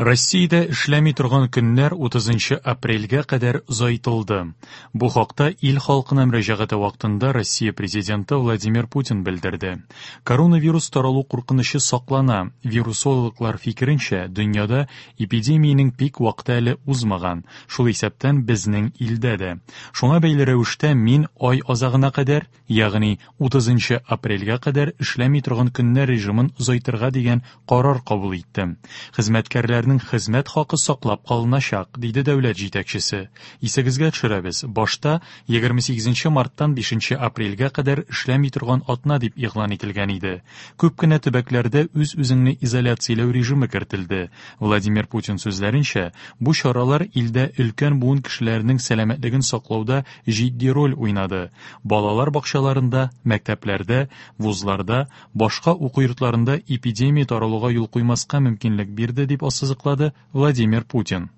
Россиядә эшләми торган көннәр 30 апрельгә кадәр озайтылды. Бу хакта ил халкына мөрәҗәгате вакытында Россия Президенты Владимир Путин белдерде. Коронавирус таралу куркынычы саклана. Вирусологлар фикеренчә, дөньяда эпидемиянең пик вакыты әле узмаган, шул исәптән безнең илдә дә. Шуңа бәйле рәвештә мин ай азагына кадәр, ягъни 30 апрельгә кадәр эшләми торган көннәр режимын озайтырга дигән карар кабул иттем. Хезмәткәрләрнең хезмәт хакы саклап калыначак, диде дәүләт җитәкчесе. Исегезгә төшерәбез, башта 28 марттан 5 апрельгә кадәр эшләми торган атна дип игълан ителгән иде. Күп кенә төбәкләрдә үз-үзеңне изоляцияләү режимы кертелде. Владимир Путин сүзләренчә, бу чаралар илдә өлкән буын кешеләренең сәламәтлеген саклауда җитди роль уйнады. Балалар бакчаларында, мәктәпләрдә, вузларда, башка уку йортларында эпидемия таралуга юл куймаска мөмкинлек бирде, дип ассызыклады Владимир Путин.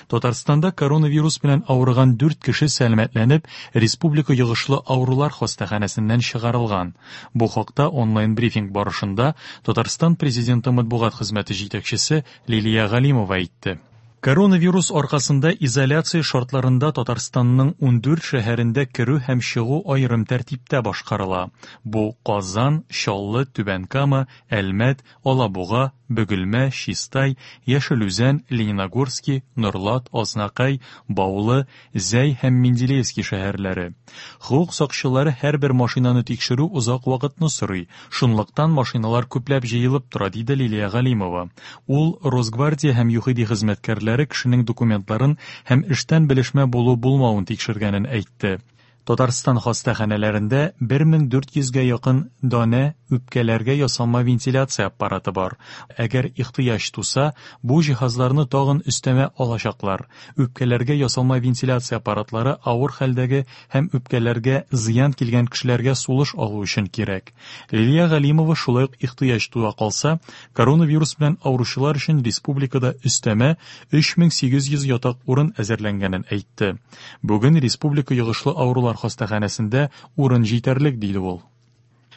Татарстанда коронавирус белән авырган 4 кеше сәламәтләнеп, республика йогышлы авырулар хастаханәсеннән чыгарылган. Бу хакта онлайн-брифинг барышында Татарстан Президенты матбугат хезмәте җитәкчесе Лилия Галимова әйтте. Коронавирус аркасында изоляция шартларында Татарстанның 14 шәһәрендә керү һәм чыгу аерым тәртиптә башкарыла. Бу Казан, Чаллы, Түбән Кама, Әлмәт, Алабуга, Бөгелмә, Чистай, Яшел Үзән, Лениногорски, Норлат, Азнакай, Баулы, Зәй һәм Менделеевский шәһәрләре. Хокук сакчылары һәрбер машинаны тикшерү озак вакытны сорый, шунлыктан машиналар күпләп җыелып тора, диде Лилия Галимова. Ул Росгвардия һәм ЮХИДИ хезмәткәрләре кешенең документларын һәм эштән белешмә булу-булмавын тикшергәнен әйтте. Татарстан хастаханәләрендә 1400 гә якын данә үпкәләргә ясалма вентиляция аппараты бар. Әгәр ихтыяҗ туса, бу җиһазларны тагын өстәмә алачаклар. Үпкәләргә ясалма вентиляция аппаратлары авыр хәлдәге һәм үпкәләргә зыян килгән кешеләргә сулыш алу өчен кирәк. Лилия Галимова шулай ук ихтыяҗ туа калса, коронавирус белән авыручылар өчен республикада өстәмә 3800 ятак урын әзерләнгәнен әйтте. Бүген республика йогышлы авырулар хастаханәсендә урын җитәрлек, диде ул.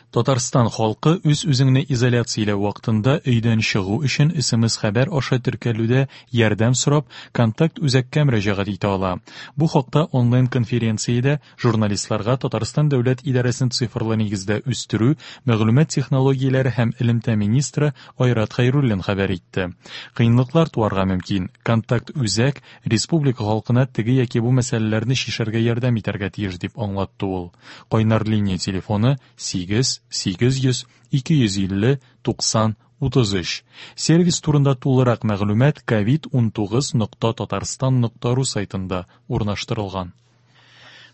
Татарстан халкы үз-үзеңне изоляцияләү вакытында өйдән чыгу өчен СМС-хәбәр аша теркәлүдә ярдәм сорап, контакт үзәккә мөрәҗәгать итә ала. Бу хакта онлайн-конференциядә Журналистларга Татарстан дәүләт идарәсен цифрлы нигездә үстерү, мәгълүмат технологияләре һәм элемтә министры Айрат Хәйруллин хәбәр итте. Кыенлыклар туарга мөмкин. Контакт үзәк республика халкына теге яки бу мәсьәләләрне чишәргә ярдәм итәргә тиеш, дип аңлатты ул. Кайнар линия телефоны 8 800 250 90 33. Сервис турында тулырак мәгълүмат covid19.tatarstan.ru сайтында урнаштырылган.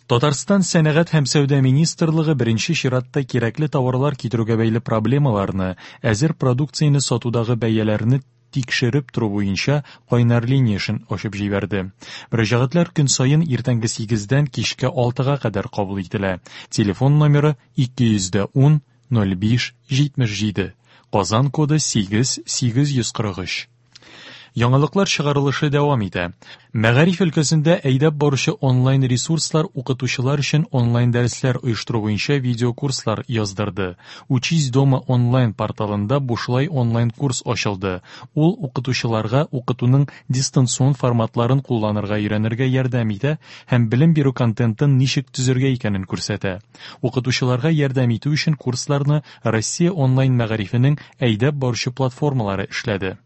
Татарстан Сәнәгать һәм сәүдә министрлыгы беренче чиратта кирәкле товарлар китерүгә бәйле проблемаларны, әзер продукцияне сатудагы бәяләрне тикшереп тору буенча кайнар линия эшен ачып җибәрде. Мөрәҗәгатьләр көн саен иртәнге 8-дән кичке 6-га кадәр кабул ителә. Телефон номеры 210 05 77. Казан коды 8 843. Яңалыклар чыгарылышы дәвам итә. Мәгариф өлкәсендә әйдәп баручы онлайн ресурслар укытучылар өчен онлайн дәресләр оештыру буенча видеокурслар яздырды. Учись дома онлайн порталында бушлай онлайн курс ачылды. Ул укытучыларга укытуның дистанцион форматларын кулланырга өйрәнергә ярдәм итә һәм белем бирү контентын ничек төзергә икәнен күрсәтә. Укытучыларга ярдәм итү өчен курсларны Россия онлайн мәгарифенең әйдәп баручы платформалары эшләде.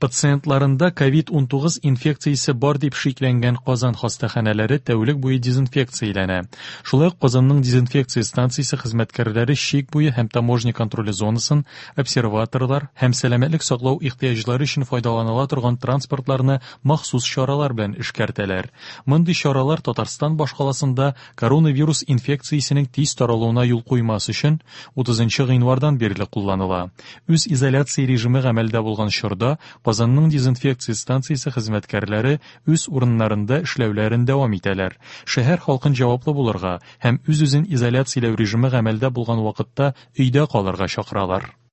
Пациентларында COVID-19 инфекциясе бар дип шикләнгән Казан хастаханәләре тәүлек буе дезинфекцияләнә. Шулай ук Казанның дезинфекция станциясе хезмәткәрләре чик буе һәм таможня контроле зонасын, обсерваторлар һәм сәламәтлек саклау ихтыяҗлары өчен файдаланыла торган транспортларны махсус чаралар белән эшкәртәләр. Мондый чаралар Татарстан башкаласында коронавирус инфекциясенең тиз таралуына юл куймас өчен 30 гыйнвардан бирле кулланыла. Үз изоляция режимы гамәлдә булган чорда Казанның дезинфекция станциясе хезмәткәрләре үз урыннарында эшләүләрен дәвам итәләр. Шәһәр халкын җаваплы булырга һәм үз-үзен изоляцияләү режимы гамәлдә булган вакытта өйдә калырга чакыралар.